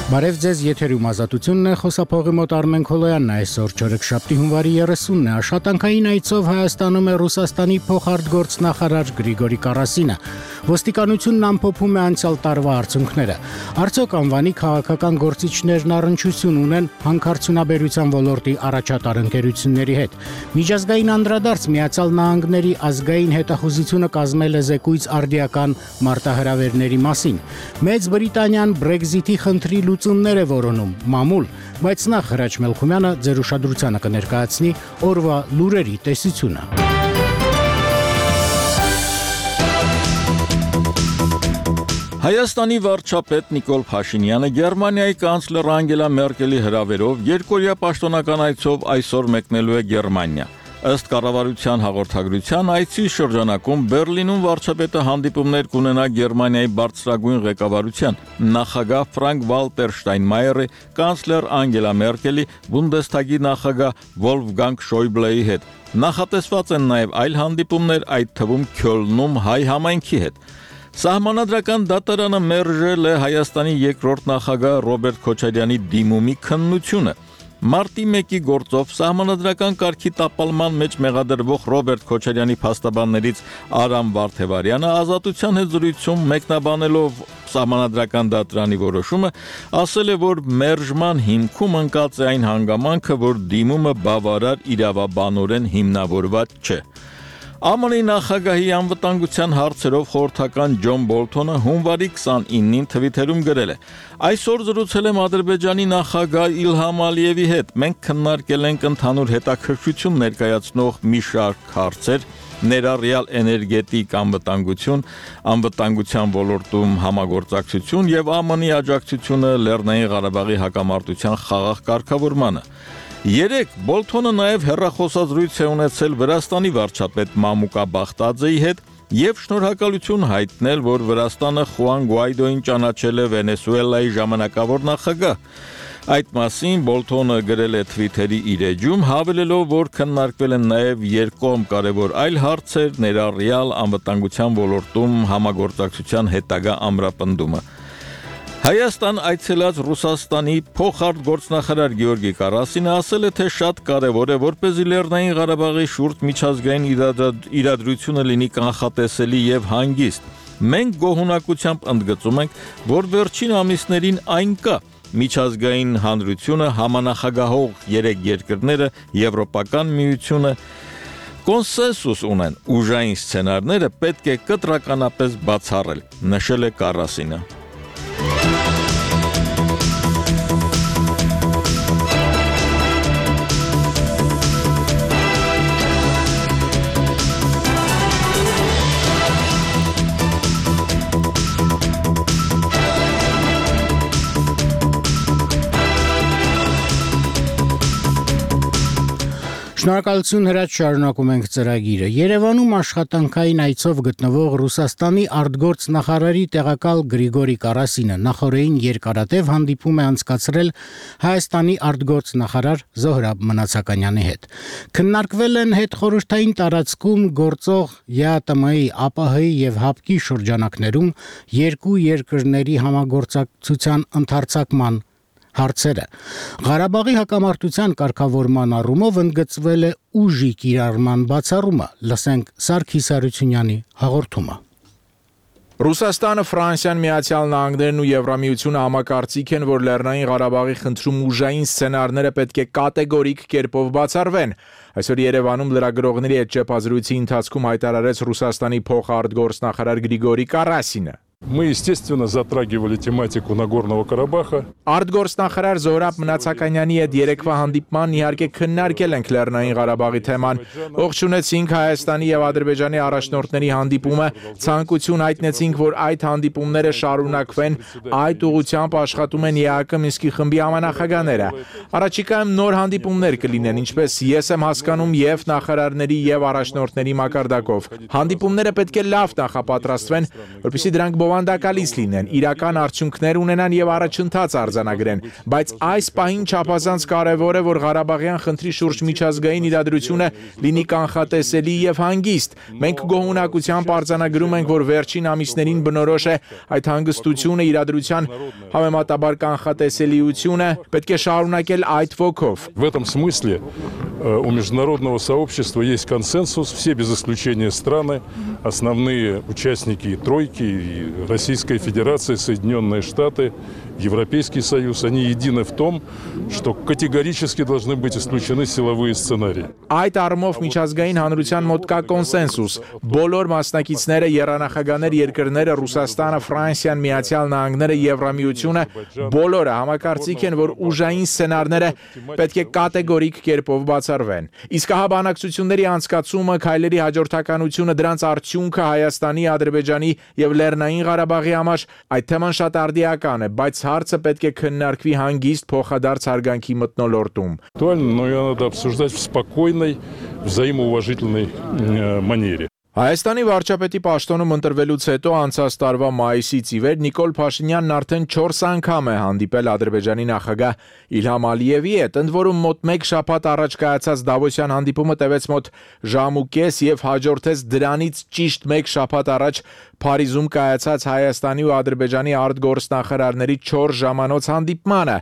Բարև ձեզ, եթերում ազատությունն է, խոսափողի մոտ Արմեն Քոլոյանն է, այսօր չորեքշաբթի հունվարի 30-ն է, աշխատանքային այցով Հայաստանում է Ռուսաստանի փոխարտգործնախարար Գրիգորի Կարասինը, ոստիկանությունն ամփոփում է անցյալ տարվա արդյունքները, արդյոք անվանի քաղաքական գործիչներն առնչություն ունեն հանքարդյունաբերության ոլորտի առաջատար ընկերությունների հետ, միջազգային անդրադարձ Միացյալ Նահանգների ազգային հետախուզությունը կազմել է զեկույց արդիական մարտահրավերների մասին, Մեծ Բրիտանիան Brexit-ի խնդրի լուծումներ է որոնում, մամուլ, բայց նախ Հրաչ Մելքումյանը ձեր ուշադրությանը կներկայացնի օրվա լուրերի տեսությունը։ Հայաստանի վարչապետ Նիկոլ Փաշինյանը Գերմանիայի կանցլեր Անգելա Մերկելի հրավերով երկօրյա պաշտոնական այցով այսօր մեկնելու է Գերմանիա։ Ըստ կառավարության հաղորդագրության այցի շրջանակում Բերլինում վարչապետը հանդիպումներ կունենա Գերմանիայի բարձրագույն ղեկավարության նախագահ Ֆրանկ Վալտեր Շտայնմայերի, կանցլեր Անգելա Մերկելի, Բունդեսթագի նախագահ Վոլֆգանգ Շոյբլեի հետ։ Նախատեսված են նաև այլ հանդիպումներ, այդ թվում Քյոլնում հայ համայնքի հետ։ Սահմանադրական դատարանը մերժել է Հայաստանի երկրորդ նախագահ Ռոբերտ Քոչարյանի դիմումի քննությունը։ Մարտի 1-ի գործով սահմանադրական կարգի տապալման մեջ մեղադրվող Ռոբերտ Քոչարյանի փաստաբաններից Արամ Վարդևարյանը ազատության հետ զրույցում մեկնաբանելով սահմանադրական դատարանի որոշումը ասել է, որ մերժման հիմքում ընկած է այն հանգամանքը, որ դիմումը բավարար իրավաբանորեն հիմնավորված չէ։ ԱՄՆ-ի նախագահի անվտանգության հարցերով խորհրդական Ջոն Բոլթոնը հունվարի 29-ին թվիթերում գրել է. Այսօր զրուցել եմ Ադրբեջանի նախագահ Իլհամ Ալիևի հետ։ Մենք քննարկել ենք ընդհանուր հետաքրքրություն ներկայացնող մի շարք հարցեր, ներառյալ էներգետիկ անվտանգություն, անվտանգության ոլորտում համագործակցություն եւ ԱՄՆ-ի աջակցությունը Լեռնային Ղարաբաղի հակամարտության խաղաղ կարգավորմանը։ Երեկ Բոլթոնը նաև հեռախոսազրույց է ունեցել Վրաստանի վարչապետ Մամուկա Բախտաձեի հետ եւ շնորհակալություն հայտնել, որ Վրաստանը Խուան Գուայդոին ճանաչել է Վենեսուելայի ժամանակավոր նախագահ։ Այդ մասին Բոլթոնը գրել է Twitter-ի իր էջում, հավելելով, որ քննարկվել են նաև երկկողմ կարևոր այլ հարցեր, ներառյալ անվտանգության ոլորտում համագործակցության հետագա ամրապնդումը։ Հայաստան այցելած Ռուսաստանի փոխարտգործնախարար Գեորգի Կարասինը ասել է, թե շատ կարևոր է, որպեսզի Լեռնային Ղարաբաղի շուրջ միջազգային իրադրությունը լինի կանխատեսելի եւ հանգիստ։ Մենք գոհունակությամբ ընդգծում ենք, որ վերջին ամիսներին այն կա։ Միջազգային հանրությունը, համանախագահող 3 երկրները, Եվրոպական միությունը կոնսենսուս ունեն, ուժային սցենարները պետք է կտրականապես բացառել, նշել է Կարասինը։ Շնորհակալություն Հրաչ, շարունակում ենք ծրագիրը։ Երևանում աշխատանքային այցով գտնվող Ռուսաստանի արտգործնախարարի տեղակալ Գրիգորի Կարասինը նախորդին երկարատև հանդիպում է անցկացրել Հայաստանի արտգործնախարար Զոհրաբ Մնացականյանի հետ։ Քննարկվել են հետխորհրդային տարածքում գործող ԵԱՏՄ-ի, ԱՊՀ-ի եւ ՀԱՊԿ-ի շրջանակներում երկու երկրների համագործակցության ընդարձակման հարցերը։ Ղարաբաղի հակամարտության կարգավորման առումով ընդգծվել է ուժի կիրառման բացառումը։ Լսենք Սարգիս Հարությունյանի հաղորդումը։ Ռուսաստանը, Ֆրանսիան, Միացյալ Նահանգներն ու Եվրամիությունը համակարծիք են, որ Լեռնային Ղարաբաղի խնդրում ուժային սցենարները պետք է կատեգորիկ կերպով բացառվեն։ Այսօր Երևանում լրագրողների հետ ճեպազրույցի ընթացքում հայտարարեց Ռուսաստանի փոխարտգործնախարար Գրիգորի Կարասինը։ Мы, естественно, затрагивали тематику Нагорного Карабаха. Արտգործնախարար Զոհրաբ Մնացականյանի հետ երեկվա հանդիպման իհարկե քննարկել ենք Լեռնային Ղարաբաղի թեման։ Ողջունեցինք Հայաստանի եւ Ադրբեջանի առաջնորդների հանդիպումը, ցանկություն հայտնեցինք, որ այդ հանդիպումները շարունակվեն, այդ ուղղությամբ աշխատում են ԵԱԿ Մինսկի խմբի համանախագահները։ Առաջիկայում նոր հանդիպումներ կլինեն, ինչպես ես եմ հասկանում, եւ նախարարների եւ առաջնորդների մակարդակով։ Հանդիպումները պետք է լավ նախապատրաստվեն, որպեսզի դրանք բովանդակալից լինեն, իրական արդյունքներ ունենան եւ առաջընթաց արձանագրեն, բայց այս պահին չափազանց կարեւոր է, որ Ղարաբաղյան խնդրի շուրջ միջազգային իրադրությունը լինի կանխատեսելի եւ հանգիստ։ Մենք գոհունակությամբ արձանագրում ենք, որ վերջին ամիսներին բնորոշ է այդ հանգստությունը, իրադրության համեմատաբար կանխատեսելիությունը, պետք է շարունակել այդ ոգով։ В этом смысле у международного сообщества есть консенсус, все без исключения страны, основные участники тройки, и Российская Федерация, Соединенные Штаты, Европейский Союз, они едины в том, что категорически должны быть исключены силовые сценарии. Այդ առումով միջազգային հանրության մոտ կա կոնսենսուս։ Բոլոր մասնակիցները, եռանախագահներ երկրները, Ռուսաստանը, Ֆրանսիան, Միացյալ Նահանգները, Եվրամիությունը, բոլորը համակարծիք են, որ ուժային սցենարները պետք է կատեգորիկ կերպով բացառվեն։ Իսկ հա բանակցությունների անցկացումը, քայլերի հաջորդականությունը, դրանց արդյունքը Հայաստանի, Ադրբեջանի եւ Լեռնային Ղարաբաղի համար այդ թեման շատ արդիական է, բայց հարցը պետք է քննարկվի հանգիստ փոխադարձ հարգանքի մթնոլորտում։ Актуально, но ее надо обсуждать в спокойной, взаимоуважительной манере. Հայաստանի վարչապետի պաշտոնում ընտրվելուց հետո անցած տարվա մայիսից ի վեր Նիկոլ Փաշինյանն արդեն 4 անգամ է հանդիպել Ադրբեջանի նախագահ Իլհամ Ալիևի հետ, ընդ որում մոտ 1 շաբաթ առաջ կայացած Դավոսյան հանդիպումը տևեց մոտ ժամ ու կես եւ հաջորդեց դրանից ճիշտ 1 շաբաթ առաջ Փարիզում կայացած Հայաստանի ու Ադրբեջանի արտգործնախարարների 4 ժամանոց հանդիպմանը,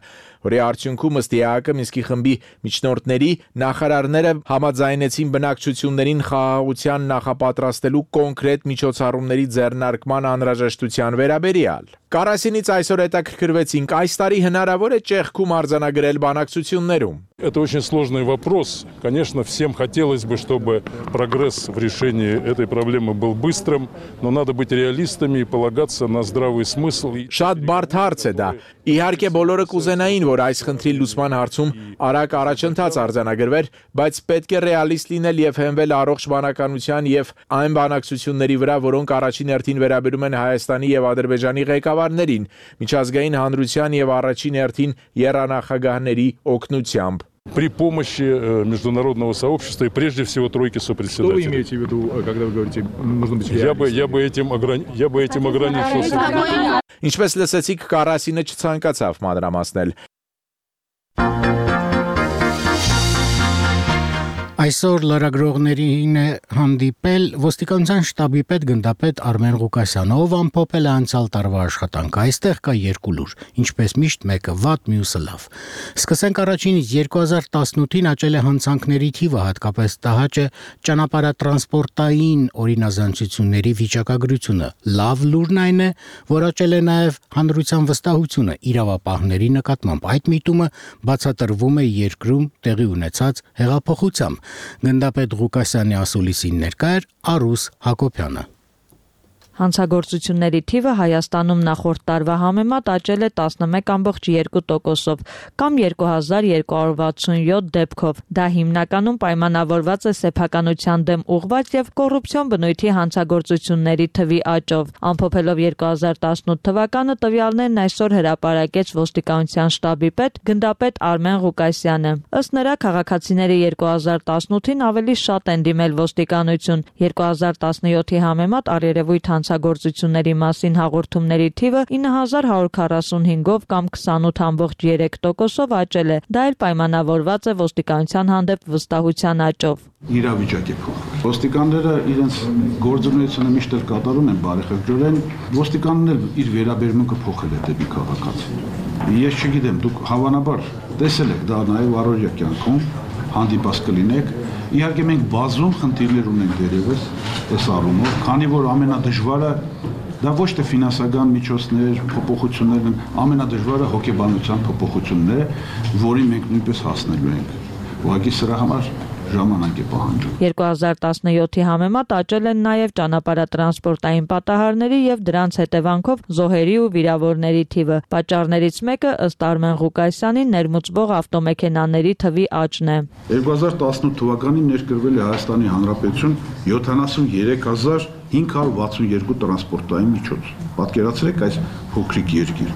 որի արդյունքում ըստ ԵԱՀԿ Մինսկի խմբի միջնորդների նախարարները համաձայնեցին բնակչություններին խաղաղության նախապատրաստելու կոնկրետ միջոցառումների ձեռնարկման անհրաժեշտության վերաբերյալ։ Կարասինից այսօր հետաքրքրվեցինք, այս տարի հնարավոր է ճեղքում արձանագրել բանակցություններում։ Это очень сложный вопрос. Конечно, всем хотелось бы, чтобы прогресс в решении этой проблемы был быстрым, но надо быть реалистами и полагаться на здравый смысл. Շատ բարդ հարց է դա։ Իհարկե բոլորը կուզենային, որ այս խնդրի լուծման հարցում արագ առաջընթաց արձանագրվեր, բայց պետք է ռեալիստ լինել եւ հենվել առողջ բանականության եւ այն բանակցությունների վրա, որոնք առաջին հերթին վերաբերում են Հայաստանի եւ Ադրբեջանի ղեկավարներին, միջազգային հանրության եւ առաջին հերթին եռանախագահների օգնությամբ։ При помощи международного сообщества и прежде всего тройки сопредседателей. Что вы имеете в виду, когда вы говорите, нужно быть реалистом? Я бы этим ограничился. Ինչպես լսեցիք, Կարասինը չցանկացավ մանրամասնել։ Այսօր լրագրողներին է հանդիպել ոստիկանության շտաբի պետ գնդապետ Արմեն Ղուկասյանը, ով ամփոփել է անցյալ տարվա աշխատանքը։ Այստեղ կա 2 լուր, ինչպես միշտ մեկը վատ, մյուսը լավ։ Սկսենք առաջինից 2018-ին աճել է հանցանքների թիվը, հատկապես տհաճ է ճանապարհատրանսպորտային օրինազանցությունների վիճակագրությունը։ Լավ լուրն այն է, որ աճել է նաև հանրության վստահությունը իրավապահների նկատմամբ։ Այդ միտումը բացատրվում է երկրում տեղի ունեցած հեղափոխությամբ։ Գնդապետ Ղուկասյանի ասուլիսին ներկա էր Արուս Հակոբյանը։ Հանցագործությունների թիվը Հայաստանում նախորդ տարվա համեմատ աճել է 11.2%-ով կամ 2267 դեպքով։ Դա հիմնականում պայմանավորված է սեփականության դեմ ուղղված եւ կոռուպցիոն բնույթի հանցագործությունների թվի աճով։ Ամփոփելով 2018 թվականը տվյալներն այսօր հրապարակեց ոստիկանության շտաբի պետ գնդապետ Արմեն Ղուկասյանը։ Ըստ նրա, քաղաքացիները 2018-ին ավելի շատ են դիմել ոստիկանություն։ 2017-ի համեմատ առերևույթ հանցագործությունների մասին հաղորդումների թիվը 9145-ով կամ 28.3%-ով աճել է։ Դա էլ պայմանավորված է ոստիկանության հանդեպ վստահության աճով։ Իրավիճակ է փոխվել։ Ոստիկանները իրենց գործունեությունը միշտ էլ կատարում են բարեխղճորեն, ոստիկանն էլ իր վերաբերմունքը փոխել է դեպի քաղաքացին։ Ես չգիտեմ, դուք հավանաբար տեսել եք դա նաև առօրյա կյանքում, հանդիպած կլինեք։ Իհարկե մենք բազում խնդիրներ ունենք դերևս այս առումով, քանի որ ամենադժվարը դա ոչ թե ֆինանսական միջոցներ, փոփոխություններն են, ամենադժվարը հոգեբանության փոփոխությունն է, որին մենք նույնպես հասնելու ենք։ Ուղղակի սրա համար ժամանակ է պահանջում։ 2017-ի համեմատ աճել են նաև ճանապարհատրանսպորտային պատահարների եւ դրանց հետևանքով զոհերի ու վիրավորների թիվը։ Պատճառներից մեկը ըստ Արմեն Ղուկասյանի ներմուծվող ավտոմեքենաների թվի աճն է։ 2018 թվականին ներկրվել է Հայաստանի Հանրապետություն 73562 տրանսպորտային միջոց։ Պատկերացրեք այս փոքրիկ երկիր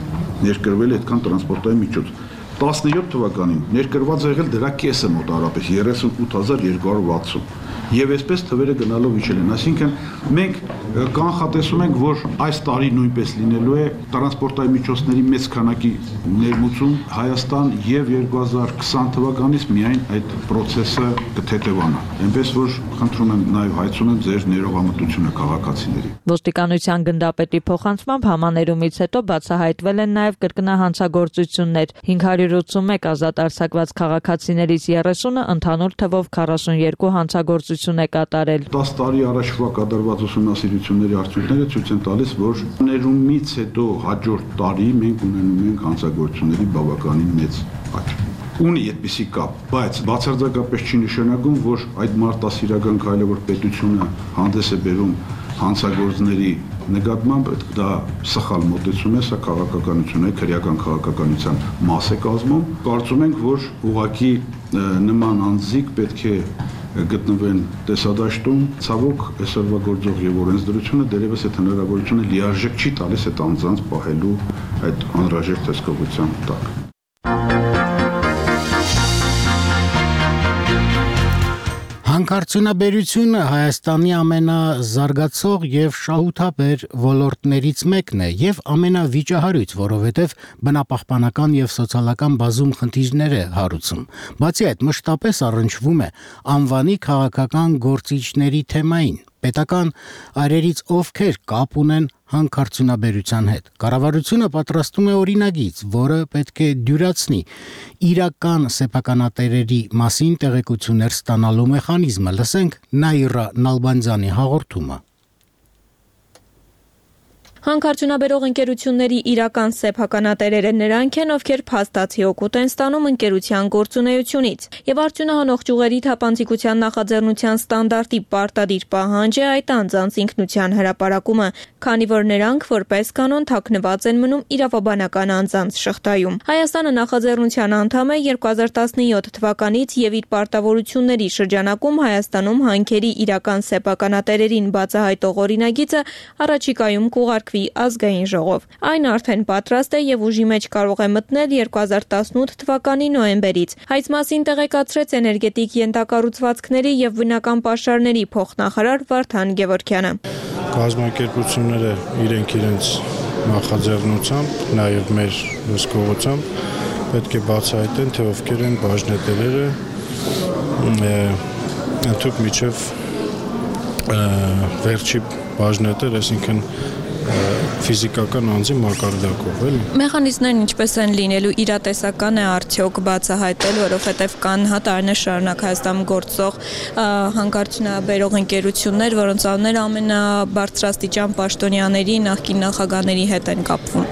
ներկրվել է այդքան տրանսպորտային միջոց։ 17 թվականին ներկրված եղել դրա կեսը մոտարապես 38260 եւ այսպես թվերը գնալով իջել են, այսինքն մենք կանխատեսում ենք, որ այս տարի նույնպես լինելու է տրանսպորտային միջոցների մեծ քանակի ներմուծում Հայաստան եւ 2020 թվականից միայն այդ process-ը կթեթևանա, այնպես որ խնդրում եմ նաեւ հայցում եմ ձեր ներողամտությունը քաղաքացիների։ Ոստիկանության գնդապետի փոխանցմամբ համաներումից հետո բացահայտվել են նաեւ կրկնահանցագործություններ, 581 ազատ արձակված քաղաքացիներից 30-ը ընդհանուր թվով 42 հանցագործություն է կատարել։ 10 տարի առաջվա կատարված ուսումնասիրությունների արդյունքները ցույց են տալիս, որ ներումից հետո հաջորդ տարի մենք ունենում ենք հանցագործությունների բավականին մեծ աճ։ Ունի այդպիսի կապ, բայց բացարձակապես չի նշանակում, որ այդ մարտահրավերական քայլը, որ պետությունը հանդես է բերում հանցագործների նկատմամբ, դա սխալ մոտեցում է, սա քաղաքականություն է, քրեական քաղաքականության մաս է կազմում։ Կարծում ենք, որ ուղղակի նման անձիկ պետք է գտնվեն տեսադաշտում, ցավոք այսօրվա գործող եւ օրենսդրությունը դերևս այդ հնարավորությունը լիարժեք չի տալիս այդ անձանց պահելու այդ անհրաժեշտ հսկողության տակ։ Հանքարդյունաբերությունը Հայաստանի ամենազարգացող եւ շահութաբեր ոլորտներից մեկն է եւ ամենավիճահարույց, որովհետեւ բնապահպանական եւ սոցիալական բազում խնդիրներ է հարուցում։ Բացի այդ, մշտապես առնչվում է անվանի քաղաքական գործիչների թեմային։ Պետական այրերից ովքեր կապ ունեն հանքարդյունաբերության հետ։ Կառավարությունը պատրաստում է օրինագիծ, որը պետք է դյուրացնի իրական սեփականատերերի մասին տեղեկություններ ստանալու մեխանիզմը։ Լսենք Նաիրա Նալբանդյանի հաղորդումը։ Հանքարդյունաբերող ընկերությունների իրական սեփականատերերը նրանք են, ովքեր փաստացի օգուտ են ստանում ընկերության գործունեությունից, եւ արդյունահանող ճյուղերի թափանցիկության նախաձեռնության ստանդարտի պարտադիր պահանջ է այդ անձանց ինքնության հրապարակումը, քանի որ նրանք որպես կանոն թաքնված են մնում իրավաբանական անձանց շղթայում։ Հայաստանը նախաձեռնության անդամ է 2017 թվականից եւ իր պարտավորությունների շրջանակում Հայաստանում հանքերի իրական սեփականատերերին բացահայտող օրինագիծը առաջիկայում կուղարկվի ազգային ժողով։ Այն արդեն պատրաստ է եւ ուժի մեջ կարող է մտնել 2018 թվականի նոյեմբերից։ Այս մասին տեղեկացրեց էներգետիկ ենթակառուցվածքների եւ բնական պաշարների փոխնախարար Վարդան Գևորգյանը։ Կազմակերպությունները իրենց նախաձեռնությամբ, նաեւ մեր հսկողությամբ պետք է բացահայտեն, թե ովքեր են բաժնետերերը, ընդհանուր միջև վերջի բաժնետեր, այսինքն ֆիզիկական անձի մակարդակով, էլի։ Մեխանիզմներն ինչպես են լինելու, իրատեսական է արդյոք բացահայտել, որովհետև կան տարիներ շարունակ Հայաստանում գործող հանքարդյունաբերող ընկերություններ, որոնց անունները ամենաբարձրաստիճան պաշտոնյաների, նախկին նախագահների հետ են կապվում։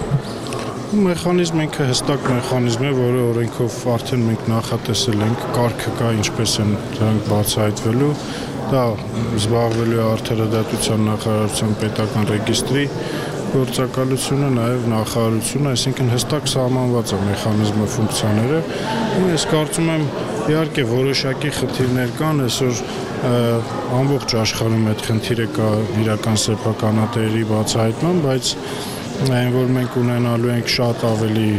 Մեխանիզմը ինքը հստակ մեխանիզմ է, որը օրենքով արդեն մենք նախատեսել ենք, կարգը կա, ինչպես են դրանք բացահայտվելու։ Դա զբաղվելու է Արդարադատության նախարարության պետական ռեգիստրի գործակալությունը, նաև նախարարությունը, այսինքն հստակ սահմանված է մեխանիզմը ֆունկցիաները։ Ես կարծում եմ, իհարկե որոշակի խնդիրներ կան, այսօր ամբողջ աշխարհում այդ խնդիրը կա իրական սեփականատերերի բացահայտման, բայց այն որ մենք ունենալու ենք շատ ավելի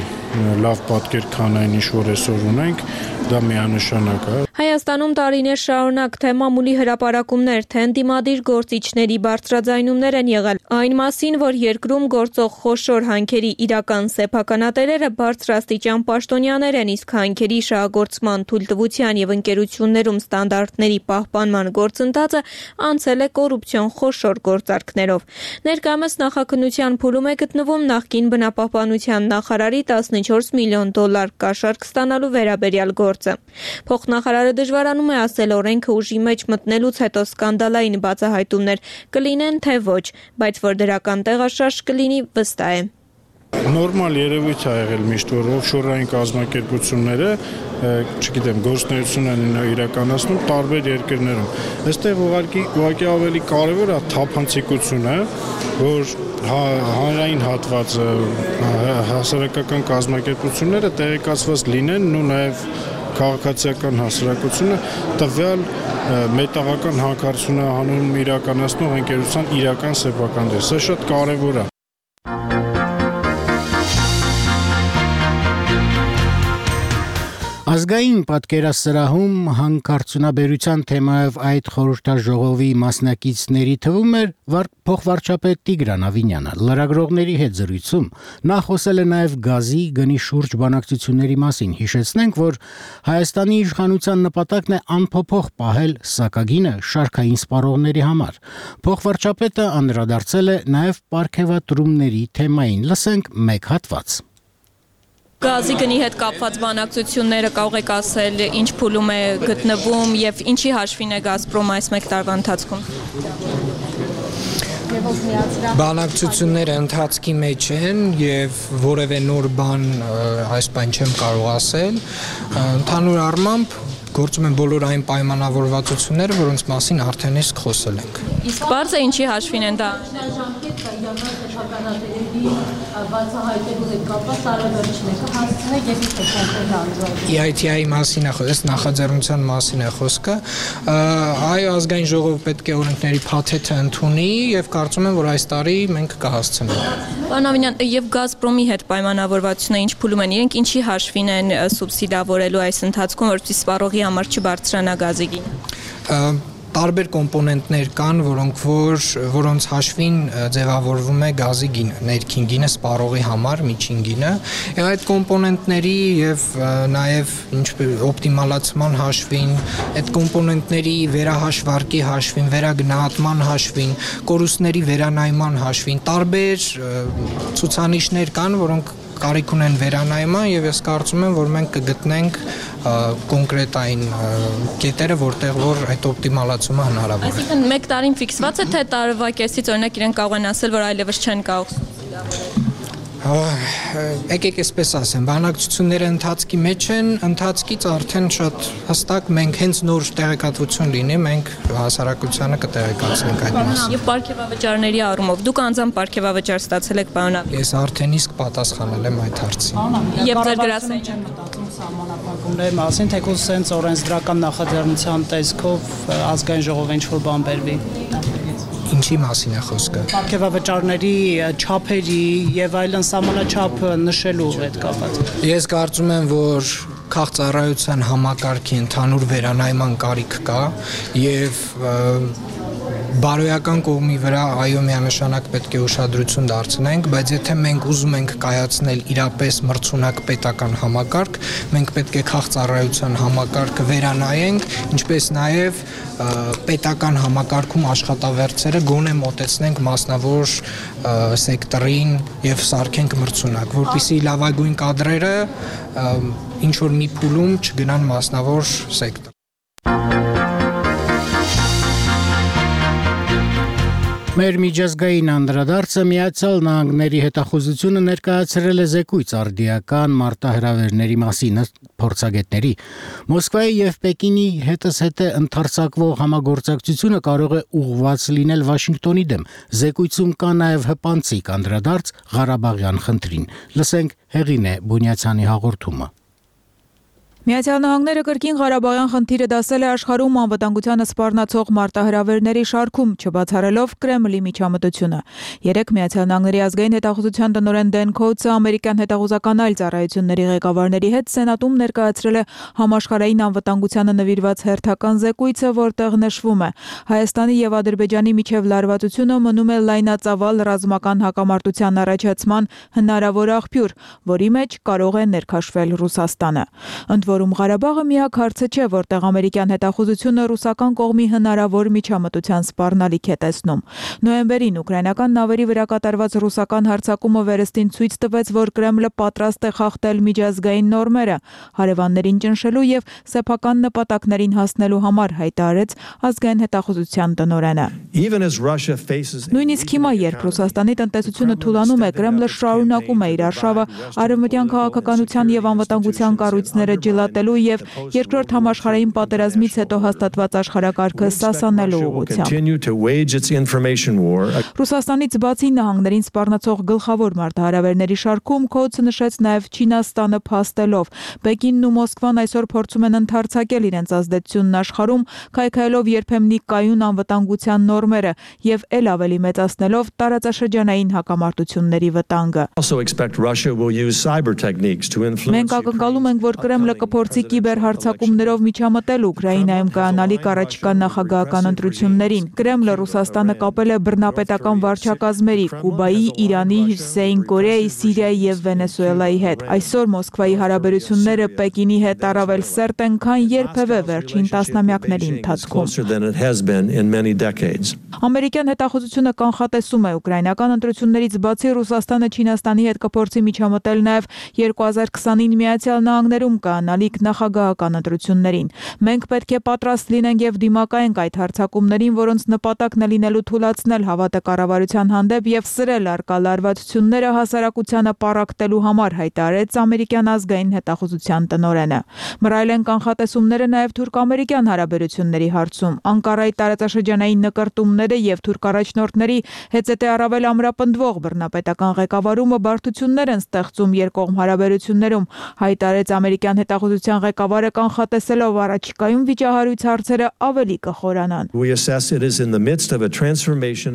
լավ պատկեր, քան այն ինչ որ այսօր ունենք, դա միանշանակ է։ Հայաստանում տարիներ շարունակ թե մամուլի հրապարակումներ, թե ընդդիմադիր գործիչների բարձրաձայնումներ են եղել այն մասին, որ երկրում գործող խոշոր հանքերի իրական սեփականատերերը բարձրաստիճան պաշտոնյաներ են, իսկ հանքերի շահագործման թույլտվության եւ ընկերություններում ստանդարտների պահպանման գործընթացը անցել է կոռուպցիոն խոշոր գործարքներով։ Ներկայումս նախաքննության փուլում է գտնվում նախկին բնապահպանության նախարարի $14 միլիոն կաշառք ստանալու վերաբերյալ գործը։ Փոխնախարարը դժվարանում է ասել օրենքը ուժի մեջ մտնելուց հետո սկանդալային բացահայտումներ կլինեն թե ոչ, բայց որ դրական տեղաշարժ կլինի վստահ է։ Նորմալ երևույթ է եղել միշտ, որ օֆշորային կազմակերպությունները, չգիտեմ, գործունեություն են իրականացնում տարբեր երկրներում։ Այստեղ ուղղակի ավելի կարևոր է թափանցիկությունը, որ հանրային հատվածը, հասարակական կազմակերպությունները տեղեկացված լինեն ու նաև քաղաքացիական հասարակությունը տվյալ մետաղական հանքարդյունահանում իրականացնող ընկերության իրական սեփական դեր։ Սա շատ կարևոր է։ Ազգային պատկերասրահում հանքարդյունաբերության թեմայով այդ խորհրդաժողովի մասնակիցների թվում էր փոխվարչապետ Տիգրան Ավինյանը։ Լրագրողների հետ զրույցում նա խոսել է նաև գազի գնի շուրջ բանակցությունների մասին։ Հիշեցնենք, որ Հայաստանի իշխանության նպատակն է անփոփոխ պահել սակագինը շարքային սպառողների համար։ Փոխվարչապետը անդրադարձել է նաև պարգևատրումների թեմային։ Լսենք մեկ հատված։ Գազի գնի հետ կապված բանակցությունները կարող եք ասել ինչ փուլում է գտնվում եւ ինչի հաշվին է Գազպրոմ այս մեկ տարվա ընթացքում։ Բանակցությունները ընթացքի մեջ են եւ որևէ նոր բան այս բան չեմ կարող ասել։ Ընդհանուր առմամբ գործում են բոլոր այն պայմանավորվածությունները, որոնց մասին արդեն իսկ խոսել ենք։ Իսկ բարձ է ինչի հաշվին են դա։ EITI-ի մասին է խոսքը, նախաձեռնության մասին է խոսքը։ Այո, ազգային ժողովը պետք է օրենքների փաթեթը ընդունի եւ կարծում եմ, որ այս տարի մենք կհասցնենք։ Պարոն Ավինյան, եւ Գազպրոմի հետ պայմանավորվածությունը ինչ փուլում են, իրենք ինչի հաշվին են սուբսիդավորելու այս ընթացքում, որպեսզի սպառողի համար չբարձրանա գազի գինը։ Տարբեր կոմպոնենտներ կան, որոնց հաշվին ձևավորվում է գազի գինը, ներքին գինը, սպառողի համար միջին գինը։ Այդ կոմպոնենտների եւ նաեւ օպտիմալացման հաշվին, այդ կոմպոնենտների վերահաշվարկի հաշվին, վերագնահատման հաշվին, կորուստների վերանայման հաշվին տարբեր ցուցանիշներ կան, որոնք կարիք ունեն վերանայման եւ ես կարծում եմ, որ մենք կգտնենք կոնկրետ այն կետերը, որտեղ որ այդ օպտիմալացումը հնարավոր է։ Այսինքն մեկ տարին ֆիքսված է, թե տարվա կեսից օրինակ իրենք կարող են ասել, որ այլևս չեն կարող սուբսիդավորել։ Եկեք այսպես ասեմ, բանակցությունները ընթացքի մեջ են, ընթացքից արդեն շատ հստակ մենք հենց նոր տեղեկատվություն լինի, մենք հասարակությանը կտեղեկացնենք այդ մասին։ Եվ պարգևավճարների առումով դուք անձամբ պարգևավճար ստացել եք, պարոն Ավինյան։ Ես արդեն իսկ պատասխանել եմ այդ հարցին։ Եվ ձեր գրասենյակը չեմ մտածում սահմանափակումների մասին, թեկուզ սենց օրենսդրական նախաձեռնության տեսքով ազգային ժողովը ինչ-որ բան բերվի։ Ինչի մասին է խոսքը։ Պարգևավճարների չափերի եւ այլն սահմանաչափ նշելու հետ կապված։ Ես կարծում եմ, որ քաղաքծառայության համակարգի ընդհանուր վերանայման կարիք կա եւ բարոյական կողմի վրա այո միանշանակ պետք է ուշադրություն դարձնենք, բայց եթե մենք ուզում ենք կայացնել իրապես մրցունակ պետական համակարգ, մենք պետք է քաղաքծառայության համակարգը վերանայենք, ինչպես նաև պետական համակարգում աշխատավարձերը գոնե մոտեցնենք մասնավոր սեկտորին եւ սարքենք մրցունակ, որպեսզի լավագույն կադրերը ինչ որ մի փուլում չգնան մասնավոր սեկտոր։ Մեր միջազգային անդրադարձը Միացյալ Նահանգների հետախուզությունը ներկայացրել է զեկույց արդիական մարտահրավերների մասին փորձագետների։ Մոսկվայի եւ Պեկինի հետզհետե ընդարձակվող համագործակցությունը կարող է ուղղված լինել Վաշինգտոնի դեմ։ Զեկույցում կա նաեւ հպանցիկ անդրադարձ Ղարաբաղյան խնդրին։ Լսենք Հեղինե Բունյացյանի հաղորդումը։ Միացյալ Նահանգները կրկին Ղարաբաղյան խնդիրը դասել է աշխարհում անվտանգությանը սպառնացող մարտահրավերների շարքում, չբացառելով Կրեմլի միջամտությունը։ Երեկ Միացյալ Նահանգների ազգային հետախուզության տնօրեն Դեն Քոուցը ամերիկյան հետախուզական այլ ծառայությունների ղեկավարների հետ Սենատում ներկայացրել է համաշխարհային անվտանգությանը նվիրված հերթական զեկույցը, որտեղ նշվում է. Հայաստանի եւ Ադրբեջանի միջև լարվածությունը մնում է լայնածավալ ռազմական հակամարտության առաջացման հնարավոր աղբյուր, որի մեջ կարող է ներքաշվել Ռուսաստանը։ Որում Ղարաբաղը միակ հարցը չէ, որտեղ ամերիկյան հետախուզությունը ռուսական կողմի հնարավոր միջամտության սպառնալիք է տեսնում։ Նոյեմբերին ուկրաինական նավերի վրա կատարված ռուսական հարձակումը վերստին ցույց տվեց, որ Կրեմլը պատրաստ է խախտել միջազգային նորմերը, հարևաններին ճնշելու եւ սեփական նպատակներին հասնելու համար, հայտարարեց ազգային հետախուզության տնօրենը։ Նույնիսկ հիմա, երբ Ռուսաստանի տնտեսությունը թուլանում է, Կրեմլը շարունակում է իր արշավը արևմտյան քաղաքականության եւ անվտանգության կառույցները ջլատելու եւ երկրորդ համաշխարհային պատերազմից հետո հաստատված աշխարհակարգը սասանելու ուղղությամբ։ Ռուսաստանից բացի նահանգներին սպառնացող գլխավոր մարտահրավերների շարքում Քոուցը նշեց նաեւ Չինաստանը փաստելով։ Պեկինն ու Մոսկվան այսօր փորձում են ընդարձակել իրենց ազդեցությունն աշխարհում, քայքայելով երբեմնի կայուն անվտանգության նորմերը եւ ել ավելի մեծացնելով տարածաշրջանային հակամարտությունների վտանգը։ Մենք ակնկալում ենք, որ Կրեմլը կփորձի կիբերհարձակումներով միջամտել Ուկրաինայում կայանալիք առաջիկա նախագահական ընտրություններին։ Կրեմլը Ռուսաստանը կապել է բռնապետական վարչակազմերի Կուբայի, Իրանի, Հյուսիսային Կորեայի, Սիրիայի եւ Վենեսուելայի հետ։ Այսօր Մոսկվայի հարաբերությունները Պեկինի հետ առավել սերտ են, քան երբևէ վերջին տասնամյակների ընթացքում։ Ամերիկյան հետախուզությունը կանխատեսում է ուկրաինական ընտրություններից բացի Ռուսաստանը Չինաստանի հետ կփորձի միջամտել նաև 2029 Միացյալ Նահանգներում կայանալիք նախագահական ընտրություններին։ Մենք պետք է պատրաստ լինենք եւ դիմակայենք այդ հարձակումներին, որոնց նպատակն է լինելու թուլացնել հավատը կառավարության հանդեպ եւ սրել արկա լարվածությունները հասարակությանը պառակտելու համար, հայտարարեց ամերիկյան ազգային հետախուզության տնօրենը։ Մռայլ են կանխատեսումները նաև թուրք-ամերիկյան հարաբերությունների հարցում։ Անկարայի տարածաշրջանային նկրտումները եւ թուրք առաջնորդների հետզհետե առավել ամրապնդվող բռնապետական ղեկավարումը բարդություններ են ստեղծում երկկողմ հարաբերություններում, հայտարարեց ամերիկյան հետախուզության ղեկավարը, կանխատեսելով առաջիկայում վիճահարույց հարցերը ավելի կխորանան։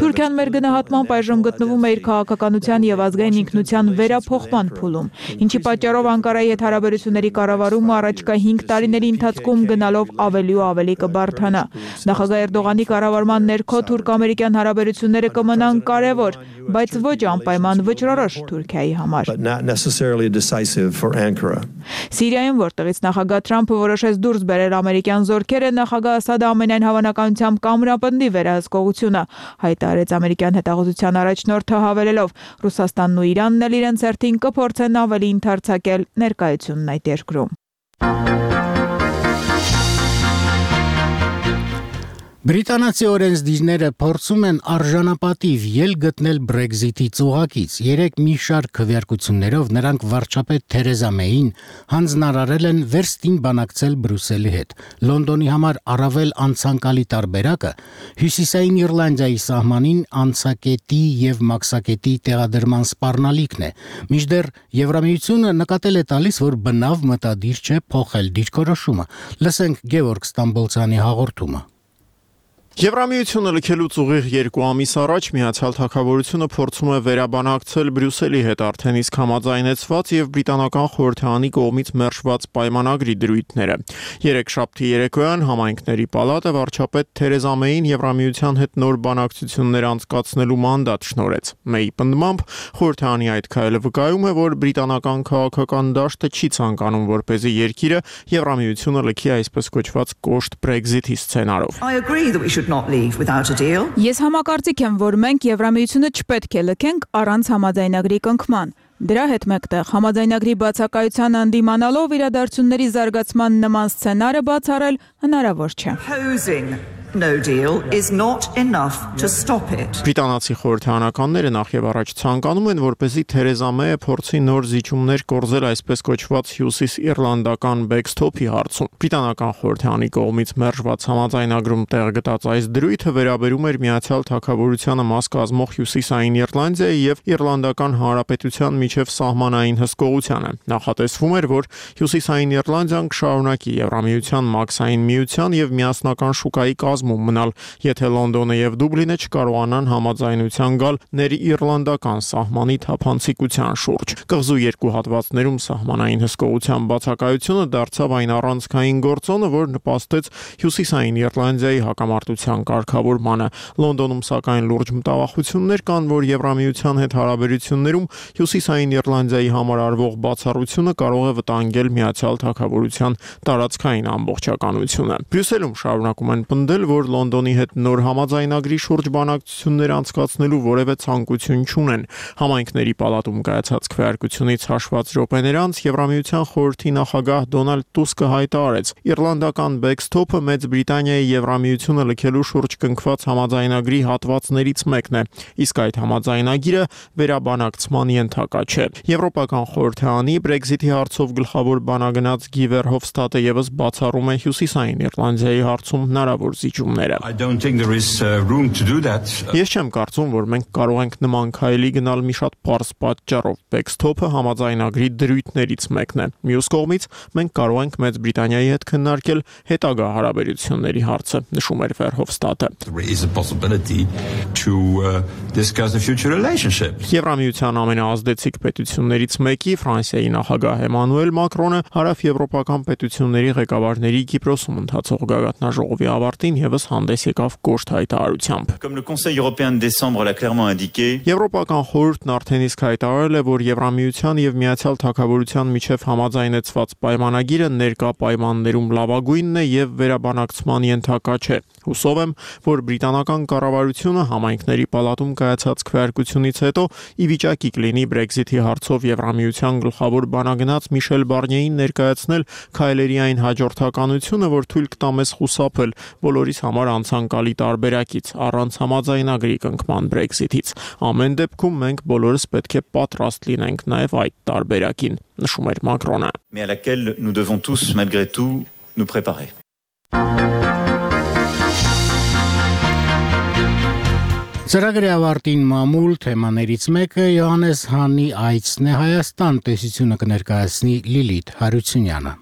Թուրքիան մեր գնահատմամբ այժմ գտնվում է իր քաղաքականության եւ ազգային ինքնության վերափոխման փուլում, ինչի պատճառով Անկարայի հետ հարաբերությունների կառավարումը առաջիկա 5 տարիների ընթացքում գնալով ավելի ու ավելի կբարդանա։ Նախագահ Էրդողանի կառավարման ներքո թուրք-ամերիկյան հարաբերությունները կմնան կարևոր, բայց ոչ անպայման վճռորոշ Թուրքիայի համար։ Սիրիայում, որտեղից նախագահ Թրամփը որոշեց դուրս բերել ամերիկյան զորքերը, նախագահ Ասադը ամենայն հավանականությամբ կամրապնդի վերահսկողությունը, հայտարարեց ամերիկյան հետախուզության առաջնորդը, հավելելով. Ռուսաստանն ու Իրանն էլ իրենց հերթին կփորձեն ավելի ընդարձակել ներկայությունն այդ երկրում։ Բրիտանացի օրենսդիրները փորձում են արժանապատիվ ելք գտնել Brexit-ի ծուղակից։ Երեք մի շարք քվեարկություններով նրանք վարչապետ Թերեզա Մեյին հանձնարարել են վերստին բանակցել Բրյուսելի հետ։ Լոնդոնի համար առավել անցանկալի տարբերակը Հյուսիսային Իռլանդիայի սահմանին անցակետի եւ մաքսակետի տեղադրման սպառնալիքն է։ Մինչդեռ Եվրամիությունը նկատել է տալիս, որ բնավ մտադիր չէ փոխել դիրքորոշումը։ Լսենք Գևորգ Ստամբոլցյանի հաղորդումը։ Եվրամիությունը լքելուց ուղիղ 2 ամիս առաջ Միացյալ Թագավորությունը փորձում է վերաբանակցել Բրյուսելի հետ արդեն իսկ համաձայնեցված եւ բրիտանական խորհրդարանի կողմից մերժված պայմանագրի դրույթները։ Երեքշաբթի երեկոյան համայնքների պալատը վարչապետ Թերեզա Մեյին Եվրամիության հետ նոր բանակցություններ անցկացնելու մանդատ շնորհեց։ Մեյի պնդմամբ խորհրդարանի այդ քայլը վկայում է, որ բրիտանական քաղաքական դաշտը չի ցանկանում, որպեսզի երկիրը Եվրամիությունը լքի այսպես կոչված կոշտ Brexit-ի սցենարով։ Ես համակարծիք եմ, որ մենք Եվրամիությունը չպետք է լքենք առանց համաձայնագրի կնքման։ Դրա հետ մեկտեղ համաձայնագրի բացակայությանը ընդդիմանալով իրադարձությունների զարգացման նման սցենարը բացառել հնարավոր չէ։ No deal is not enough to stop it. Բրիտանացի խորհրդարանականները նախ եւ առաջ ցանկանում են, որպեսզի Թերեզա Մեյը փորձի նոր զիջումներ կորզել այսպես կոչված հյուսիս-իռլանդական backstop-ի հարցում։ Բրիտանական խորհրդարանի կողմից մերժված համաձայնագրում տեղ գտած այս դրույթը վերաբերում էր Միացյալ Թագավորությանը մաս կազմող Հյուսիսային Իռլանդիայի եւ Իռլանդական Հանրապետության միջև սահմանային հսկողությանը։ Նախատեսվում էր, որ Հյուսիսային Իռլանդիան կշարունակի Եվրամիության մաքսային միության եւ միասնական շուկայի մնալ, եթե Լոնդոնը եւ Դուբլինը չկարողանան համաձայնության գալ ներ-իռլանդական սահմանի թափանցիկության շուրջ։ Կղզու երկու հատվածներում սահմանային հսկողության բացակայությունը դարձավ այն առանցքային գործոնը, որ նպաստեց Հյուսիսային Իռլանդիայի հակամարտության կարգավորմանը։ Լոնդոնում սակայն լուրջ մտավախություններ կան, որ Եվրամիության հետ հարաբերություններում Հյուսիսային Իռլանդիայի համար արվող բացառությունը կարող է վտանգել Միացյալ Թագավորության տարածքային ամբողջականությունը։ Բրյուսելում շարունակում են պնդել, որ Լոնդոնի հետ նոր համաձայնագրի շուրջ բանակցություններ անցկացնելու որևէ ցանկություն չունեն։ Համայնքների պալատում կայացած քվեարկությունից հաշված րոպեներ անց Եվրամիության խորհրդի նախագահ Դոնալդ Տուսկը հայտարարեց. Իռլանդական backstop-ը Մեծ Բրիտանիայի Եվրամիությունը լքելու շուրջ կնքված համաձայնագրի հատվածներից մեկն է, իսկ այդ համաձայնագիրը վերաբանակցման ենթակա չէ։ Եվրոպական խորհրդարանի Brexit-ի հարցով գլխավոր բանագնաց Գի Վերհոֆստադը եւս բացառում է Հյուսիսային Իռլանդիայի հարցում հնարավոր զիջումները։ Ես չեմ կարծում, որ մենք կարող ենք նման քայլի գնալ մի շատ պարզ պատճառով։ Backstop-ը համաձայնագրի դրույթներից մեկն է։ Մյուս կողմից մենք կարող ենք Մեծ Բրիտանիայի հետ քննարկել հետագա հարաբերությունների հարցը, նշում էր Վերհովստատը։ Եվրամիության ամենաազդեցիկ պետություններից մեկի Ֆրանսիայի նախագահ Էմանուել Մակրոնը հարավեվրոպական պետությունների ղեկավարների Կիպրոսում ընթացող գագաթնաժողովի ավարտին եւս հանդես եկավ կոշտ հայտարարությամբ։ Եվրոպական խորհուրդն արդեն իսկ հայտարարել է, որ Եվրամիության եւ Միացյալ Թագավորության միջև համաձայնեցված պայմանագիրը ներկա պայմաններում լավագույնն է եւ վերաբանակցման ենթակա չէ։ Հուսով եմ, որ բրիտանական կառավարությունը համայնքների պալատում կայացած քվեարկությունից հետո ի վիճակի կլինի Brexit-ի հարցով Եվրամիության գլխավոր բանագնաց Միշել Բարնիեին ներկայացնել քայլերի այն հաջորդականությունը, որ թույլ կտա մեզ խուսափել բոլորիս համար անցանկալի տարբերակից առանց համաձայնագրի կնքման Brexit-ից։ Ամեն դեպքում մենք բոլորս պետք է պատրաստ լինենք նաև այդ տարբերակին, նշում էր Մակրոնը։ Mais à laquelle nous devons tous malgré tout nous préparer. Ծրագրի ավարտին մամուլ թեմաներից մեկը Յոհաննես Հանի այցն է Հայաստան, տեսությունը կներկայացնի Լիլիթ Հարությունյանը։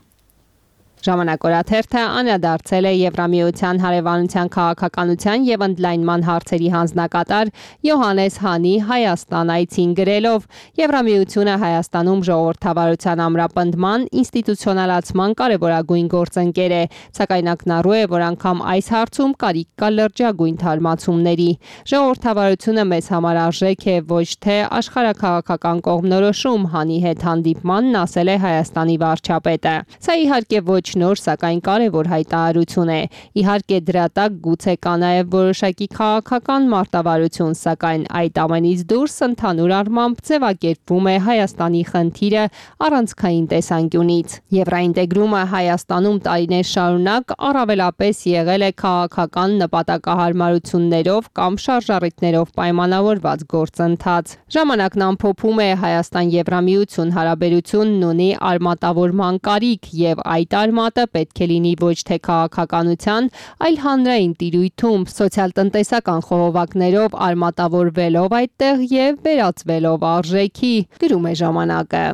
Ժամանակորաթերթը անդրադարձել է Եվրամիության հարևանության քաղաքականության եւ ընդլայնման հարցերի հանձնակատար Յոհաննես Հանի Հայաստան այցին գրելով. Եվրամիությունը Հայաստանում ժողովրդավարության ամրապնդման, ինստիտուցիոնալացման կարևորագույն գործընկեր է, սակայն ակնառու է, որ անգամ այս հարցում կարիք կա լրջագույն թարմացումների։ Ժողովրդավարությունը մեզ համար արժեք է, ոչ թե աշխարհաքաղաքական կողմնորոշում, Հանի հետ հանդիպմանն ասել է Հայաստանի վարչապետը։ Սա իհարկե ոչ նոր, սակայն կարևոր հայտարարություն է։ Իհարկե դրա տակ գուցե կա նաև որոշակի քաղաքական մարտավարություն, սակայն այդ ամենից դուրս ընդհանուր առմամբ ձևակերպվում է Հայաստանի խնդիրը առանցքային տեսանկյունից։ Եվրաինտեգրումը Հայաստանում տարիներ շարունակ առավելապես եղել է քաղաքական նպատակահարմարություններով կամ շարժառիթներով պայմանավորված գործընթաց։ Ժամանակն ամփոփում է Հայաստան-Եվրամիություն հարաբերությունն ունի արմատավորման կարիք եւ այդ արմատը պետք է լինի ոչ թե քաղաքականության, այլ հանրային տիրույթում, սոցիալ-տնտեսական խողովակներով արմատավորվելով այդտեղ եւ վերածվելով արժեքի, գրում է ժամանակը։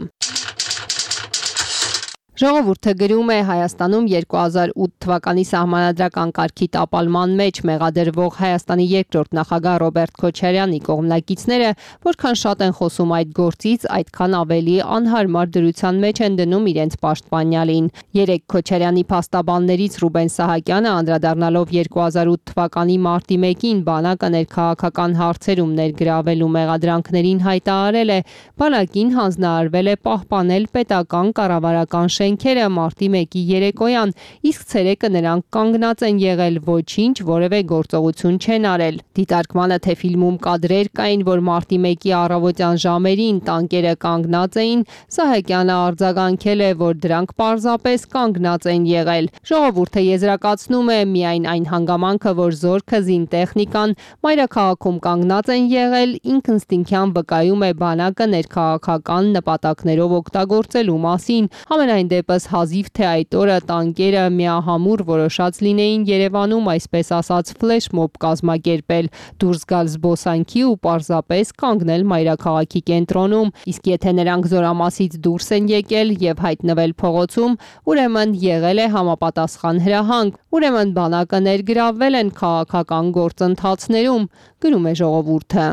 Ժողովուրդը գրում է Հայաստանում 2008 թվականի սահմանադրական կարգի տապալման մեջ մեղադրվող Հայաստանի երկրորդ նախագահ Ռոբերտ Քոչարյանի կողմնակիցները որքան շատ են խոսում այդ գործից, այդքան ավելի անհարմար դրության մեջ են դնում իրենց պաշտպանյալին։ Երեք Քոչարյանի փաստաբաններից Ռուբեն Սահակյանը անդրադառնալով 2008 թվականի մարտի 1-ին բանակը ներքաղաքական հարցերում ներգրավելու մեղադրանքներին հայտարարել է, բանակին հանձնարարվել է պահպանել պետական կառավարական շենքերը մարտի 1-ի երեկոյան, իսկ ցերեկը նրանք կանգնած են եղել, ոչինչ, որևէ գործողություն չեն արել։ Դիտարկմանը թե ֆիլմում կադրեր կային, որ մարտի 1-ի առավոտյան ժամերին տանկերը կանգնած էին, Սահակյանը արձագանքել է, որ դրանք պարզապես կանգնած են եղել։ Ժողովուրդը եզրակացնում է միայն այն հանգամանքը, որ զորքը զինտեխնիկան մայրաքաղաքում կանգնած են եղել, ինքնստինքյան վկայում է բանակը ներքաղաքական նպատակներով օգտագործելու մասին։ Համենայն դեպս հազիվ թե այդ օրը տանկերը միահամուռ որոշած լինեին Երևանում, այսպես ասած, ֆլեշմոբ կազմակերպել, դուրս գալ զբոսանքի ու պարզապես կանգնել մայրաքաղաքի կենտրոնում, իսկ եթե նրանք զորամասից դուրս են եկել եւ հայտնվել փողոցում, ուրեմն եղել է համապատասխան հրահանգ, ուրեմն բանակը ներգրավվել են քաղաքական գործընթացներում, գրում է ժողովուրդը։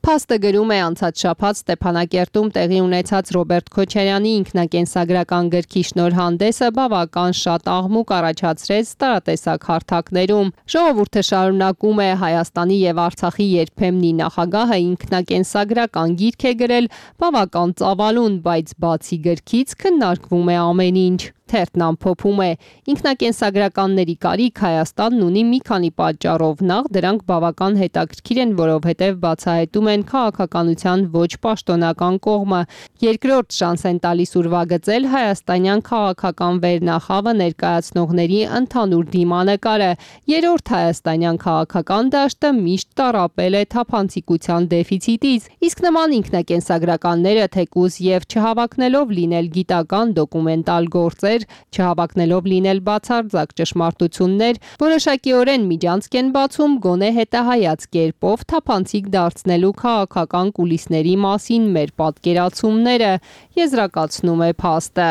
Փաստը գրում է անցած շաբաթ Ստեփանակերտում տեղի ունեցած Ռոբերտ Քոչարյանի ինքնակենսագրական գրքի շնորհանդեսը բավական շատ աղմուկ առաջացրեց տարատեսակ հարթակներում։ Ժողովուրդը շարունակում է Հայաստանի եւ Արցախի երբեմնի նախագահը ինքնակենսագրական գիրք է գրել բավական ծավալուն, բայց բացի գրքից քննարկվում է ամեն ինչ։ Թերթն ամփոփում է. ինքնակենսագրականների կարիք Հայաստանն ունի մի քանի պատճառով, նախ դրանք բավական հետաքրքիր են, որովհետև բացահայտում են քաղաքականության ոչ պաշտոնական կողմը, երկրորդ շանս են տալիս ուրվագծել հայաստանյան քաղաքական վերնախավը ներկայացնողների ընդհանուր դիմանկարը, երրորդ հայաստանյան քաղաքական դաշտը միշտ տառապել է թափանցիկության դեֆիցիտից, իսկ նման ինքնակենսագրականները թեկուզ եւ չհավակնելով լինել գիտական դոկումենտալ գործեր լուրեր, չհավակնելով լինել բացարձակ ճշմարտություններ, որոշակիորեն միջանցք են բացում գոնե հետահայաց կերպով թափանցիկ դարձնելու քաղաքական կուլիսների մասին մեր պատկերացումները, եզրակացնում է փաստը։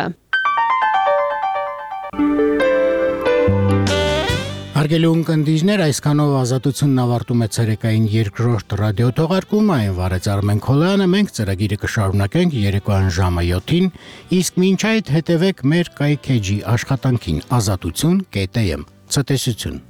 Հարգելի ունկնդիրներ, այսքանով Ազատությունն ավարտում է ցերեկային երկրորդ ռադիոթողարկումը, այն վարեց Արմեն Քոլյանը, մենք ծրագիրը կշարունակենք երեկոյան ժամը 7-ին, իսկ մինչ այդ հետևեք մեր կայքեջի աշխատանքին azatutun.am. Ցտեսություն։